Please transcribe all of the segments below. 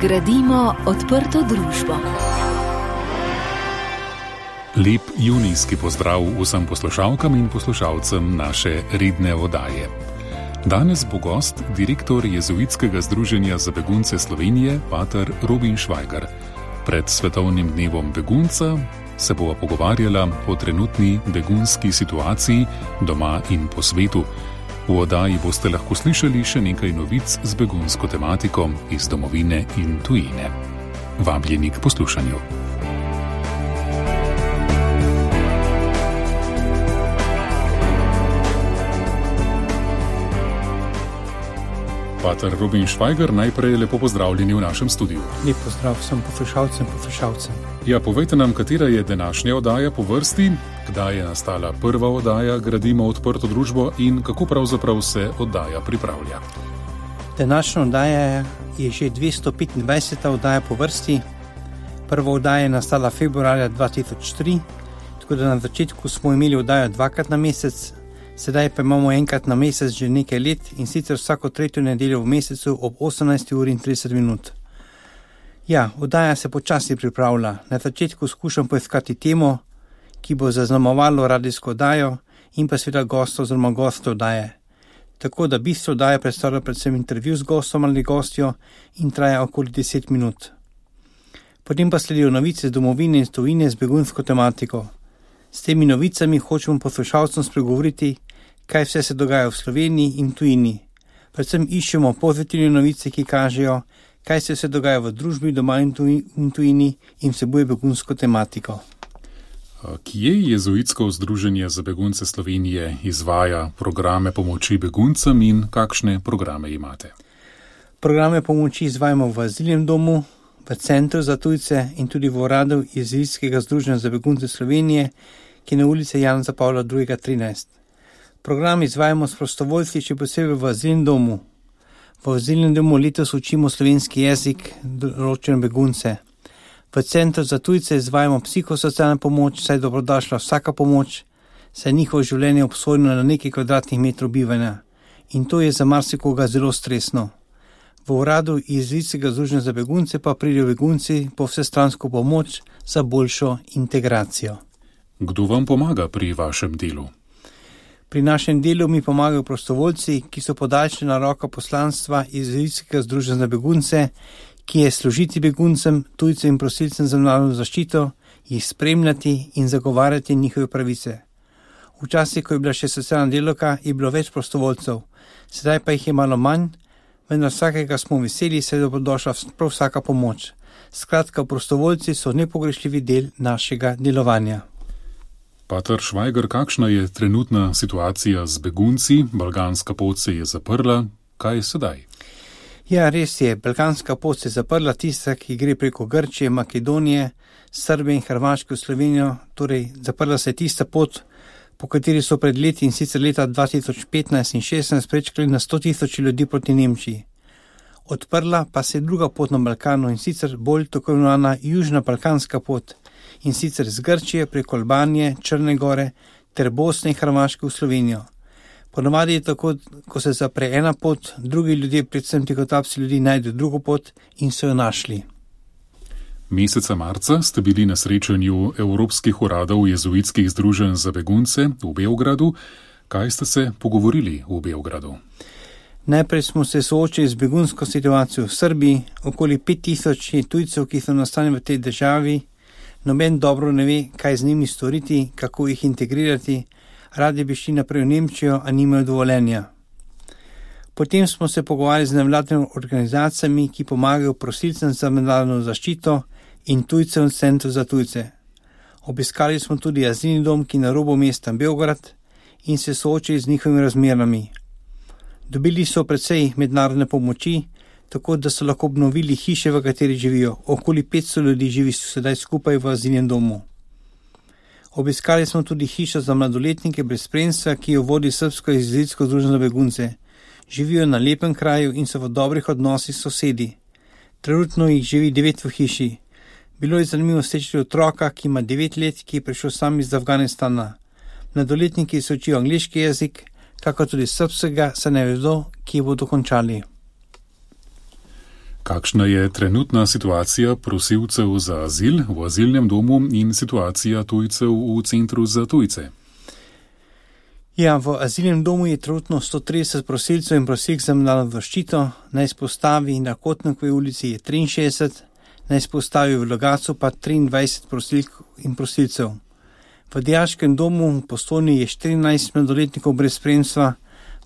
Gradimo odprto družbo. Lep junijski pozdrav vsem poslušalkam in poslušalcem naše redne oddaje. Danes bo gost direktor Jezuitskega združenja za begunce Slovenije, pater Robin Švajgar. Pred svetovnim dnevom begunca se bova pogovarjala o trenutni begunski situaciji doma in po svetu. V oddaji boste lahko slišali še nekaj novic z begunsko tematiko iz domovine in tujine. Vabljeni k poslušanju. Pater Robin Švajgar, najprej lepo pozdravljeni v našem studiu. Lep pozdrav vsem poslušalcem. Ja, povejte nam, katera je današnja oddaja po vrsti, kdaj je nastala prva oddaja Gradimo odprto družbo in kako pravzaprav se oddaja pripravlja. Današnja oddaja je že 225. oddaja po vrsti. Prva oddaja je nastala februarja 2003, tako da na začetku smo imeli oddajo dvakrat na mesec, sedaj pa imamo enkrat na mesec že nekaj let in sicer vsako tretjo nedeljo v mesecu ob 18:30. Ja, oddaja se počasi pripravlja. Na začetku skušam poiskati temo, ki bo zaznamovalo radijsko oddajo in pa seveda gost oziroma gost oddaje. Tako da bistvo oddaje predstavlja predvsem intervju z gostom ali gostjo in traja okoli 10 minut. Potem pa sledijo novice z domovine in tujine z begunsko tematiko. S temi novicami hočemo poslušalcem spregovoriti, kaj vse se dogaja v Sloveniji in tujini. Predvsem iščemo pozitivne novice, ki kažejo, kaj se vse dogaja v družbi doma in tujini in vsebuje begunsko tematiko. Kje Jezuitsko združenje za begunce Slovenije izvaja programe pomoči beguncem in kakšne programe imate? Programe pomoči izvajamo v azilnem domu, v Centru za tujce in tudi v uradu Jezuitskega združenja za begunce Slovenije, ki je na ulici Janeza Pavla II. 13. Program izvajamo s prostovoljci, še posebej v azilnem domu. V azilnem domu letos učimo slovenski jezik določene begunce. V Centru za tujce izvajamo psihosocialno pomoč, saj je dobrodošla vsaka pomoč, saj je njihovo življenje obsojeno na nekaj kvadratnih metrov bivanja. In to je za marsikoga zelo stresno. V uradu Jezuitskega združenja za begunce pa pridejo begunci po vsestransko pomoč za boljšo integracijo. Kdo vam pomaga pri vašem delu? Pri našem delu mi pomagajo prostovoljci, ki so podaljšana roka poslanstva Jezuitskega združenja za begunce, ki je služiti beguncem, tujcem in prosilcem za mednarodno zaščito, jih spremljati in zagovarjati njihove pravice. Včasih, ko je bila še socialna delavka, je bilo več prostovoljcev, sedaj pa jih je malo manj, vendar vsakega smo veseli, saj je dobrodošla prav vsaka pomoč. Skratka, prostovoljci so nepogrešljivi del našega delovanja. Pater Švajgar, kakšna je trenutna situacija z begunci? Balkanska pot se je zaprla. Kaj je sedaj? Ja, res je. Balkanska pot se je zaprla, tista, ki gre preko Grčije, Makedonije, Srbije in Hrvaške v Slovenijo. Torej, zaprla se je tista pot, po kateri so pred leti in sicer leta 2015 in 2016 prečkali na 100.000 ljudi proti Nemčiji. Odprla pa se je druga pot na Balkanu in sicer bolj tako imenovana južna balkanska pot in sicer z Grčije preko Albanije, Črne gore ter Bosne in Hrvaške v Slovenijo. Ponavadi je tako, ko se zapre ena pot, drugi ljudje, predvsem tihotapci ljudi, najdejo drugo pot in so jo našli. Meseca marca ste bili na srečanju evropskih uradov Jezuitskih združenj za begunce v Beogradu. Kaj ste se pogovorili v Beogradu? Najprej smo se soočili z begunsko situacijo v Srbiji. Okoli 5.000 tujcev, ki so nastanjeni v tej državi. Noben dobro ne ve, kaj z njimi storiti, kako jih integrirati. Radi bi šli naprej v Nemčijo, a nimajo dovoljenja. Potem smo se pogovarjali z nevladnimi organizacijami, ki pomagajo prosilcem za mednarodno zaščito in tujcem v Centru za tujce. Obiskali smo tudi azilni dom, ki je na robu mesta Beograd in se soočili z njihovimi razmerami. Dobili so precej mednarodne pomoči, tako da so lahko obnovili hiše, v kateri živijo. Okoli 500 ljudi živi sedaj skupaj v azilnem domu. Obiskali smo tudi hišo za mladoletnike brez spremstva, ki jo vodi Srbsko jezuitsko združenje za begunce. Živijo na lepem kraju in so v dobrih odnosih s sosedi. Trenutno jih živi 9 v hiši. Bilo je zanimivo srečati otroka, ki ima 9 let, ki je prišel sam iz Afganistana. Mladoletniki se učijo angleški jezik, kako tudi srbskega, se ne vedo, ki bodo končali. Kakšna je trenutna situacija prosilcev za azil v azilnem domu in situacija tujcev v centru za tujce? Ja, v azilnem domu je trenutno 130 prosilcev in prosilk za mednarodno zaščito, na izpostavi na Kotnikovi ulici je 63, na izpostavi v Logatcu pa 23 prosilk in prosilcev. V dijaškem domu v Postojni je 14 mladoletnikov brez spremstva,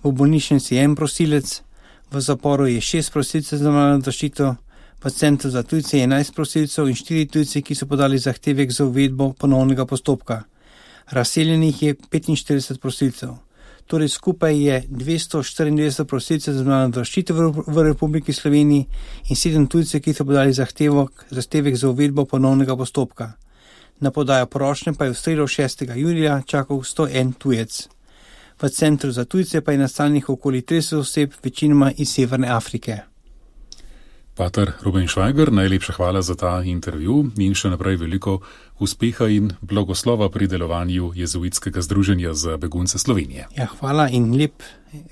v bolnišnici je en prosilec, v zaporu je 6 prosilcev za mednarodno zaščito, v centru za tujce je 11 prosilcev in 4 tujci, ki so podali zahtevek za uvedbo ponovnega postopka. Razseljenih je 45 prosilcev. Torej skupaj je 294 prosilcev za mednarodno zaščito v Republiki Sloveniji in 7 tujcev, ki so podali zahtevek za uvedbo ponovnega postopka. Na podajo prošnje pa je v sredo 6. julija čakal 101 tujec. V centru za tujce pa je nastanjenih okoli 30 oseb, večinoma iz Severne Afrike. Pater Ruben Švajger, najlepša hvala za ta intervju in še naprej veliko uspeha in blagoslova pri delovanju Jezuitskega združenja za begunce Slovenije. Ja, hvala in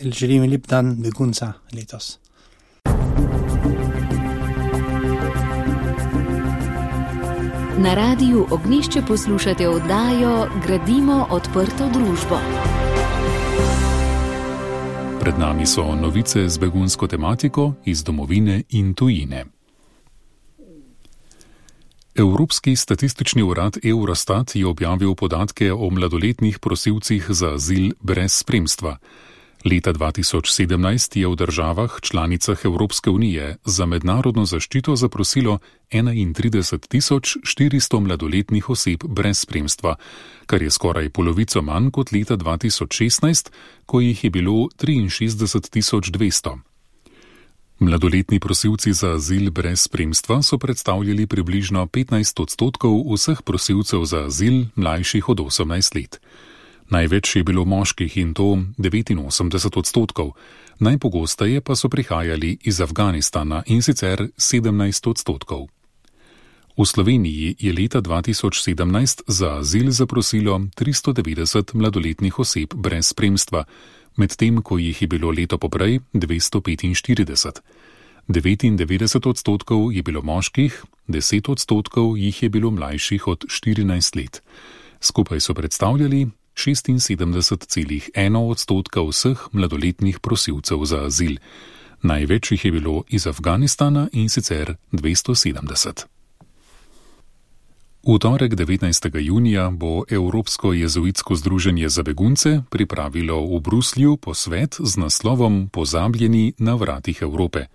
želim lep dan begunca letos. Na radiju Ognjišče poslušate oddajo Gradimo odprto družbo. Pred nami so novice z begunsko tematiko iz domovine in tujine. Evropski statistični urad Eurostat je objavil podatke o mladoletnih prosilcih za azil brez spremstva. Leta 2017 je v državah članicah Evropske unije za mednarodno zaščito zaprosilo 31.400 mladoletnih oseb brez spremstva, kar je skoraj polovico manj kot leta 2016, ko jih je bilo 63.200. Mladoletni prosilci za azil brez spremstva so predstavljali približno 15% vseh prosilcev za azil mlajših od 18 let. Največ je bilo moških in to 89%, najpogosteje pa so prihajali iz Afganistana in sicer 17%. V Sloveniji je leta 2017 za azil zaprosilo 390 mladoletnih oseb brez spremstva, medtem ko jih je bilo leto poprej 245. 99% je bilo moških, 10% jih je bilo mlajših od 14 let. Skupaj so predstavljali 76,1% vseh mladoletnih prosilcev za azil. Največ jih je bilo iz Afganistana in sicer 270. V torek 19. junija bo Evropsko jezuitsko združenje za begunce pripravilo v Bruslju posvet z naslovom Pozabljeni na vratih Evrope.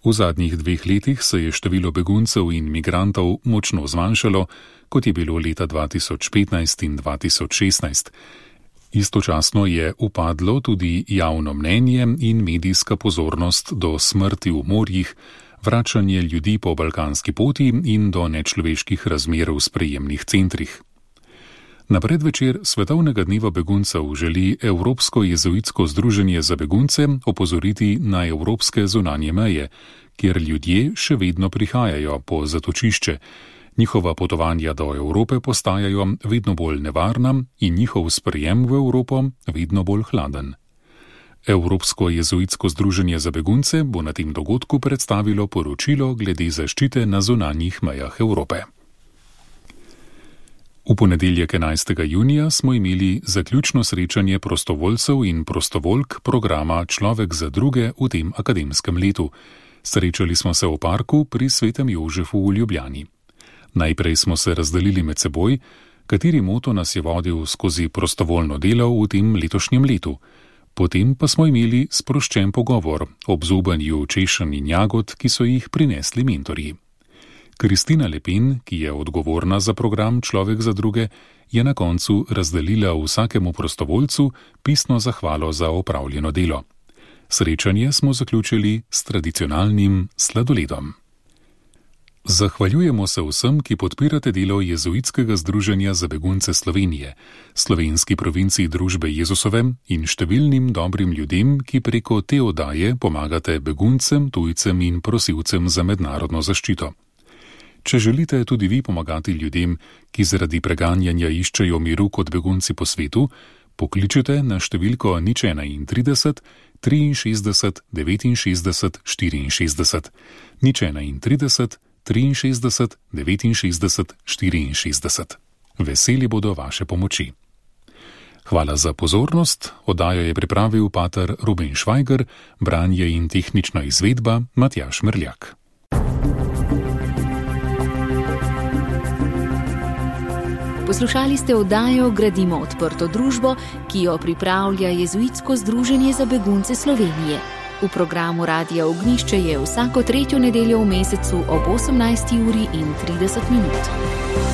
V zadnjih 2 letih se je število beguncev in migrantov močno zmanjšalo, kot je bilo leta 2015 in 2016. Istočasno je upadlo tudi javno mnenje in medijska pozornost do smrti v morjih, vračanje ljudi po balkanski poti in do nečloveških razmer v sprejemnih centrih. Na predvečer Svetovnega dneva beguncev želi Evropsko jezuitsko združenje za begunce opozoriti na evropske zunanje meje, kjer ljudje še vedno prihajajo po zatočišče. Njihova potovanja do Evrope postajajo vedno bolj nevarna in njihov sprejem v Evropo vedno bolj hladen. Evropsko jezuitsko združenje za begunce bo na tem dogodku predstavilo poročilo glede zaščite na zunanjih mejah Evrope. V ponedeljek 11. junija smo imeli zaključno srečanje prostovoljcev in prostovoljk programa Človek za druge v tem akademskem letu. Srečali smo se v parku pri Svetem Jožefu v Ljubljani. Najprej smo se razdelili med seboj, kateri moto nas je vodil skozi prostovoljno delo v tem letošnjem letu. Potem pa smo imeli sproščen pogovor ob zobanju češenj in jagod, ki so jih prinesli mentorji. Kristina Lepin, ki je odgovorna za program Človek za druge, je na koncu razdelila vsakemu prostovoljcu pisno zahvalo za opravljeno delo. Srečanje smo zaključili s tradicionalnim sladoledom. Zahvaljujemo se vsem, ki podpirate delo Jezuitskega združenja za begunce Slovenije, slovenski provinciji Družbe Jezusove in številnim dobrim ljudem, ki preko te oddaje pomagate beguncem, tujcem in prosilcem za mednarodno zaščito. Če želite tudi vi pomagati ljudem, ki zaradi preganjanja iščejo miru kot begunci po svetu, Pokličite na številko 031 63 69 64. 031 63 69 64. Veseli bodo vaše pomoči. Hvala za pozornost. Oddajo je pripravil pater Ruben Švajger, branje in tehnična izvedba Matjaž Mrljak. Poslušali ste oddajo Gradimo odprto družbo, ki jo pripravlja Jezuitsko združenje za begunce Slovenije. V programu Radia Ognjišče je vsako 3. nedeljo v mesecu ob 18:30.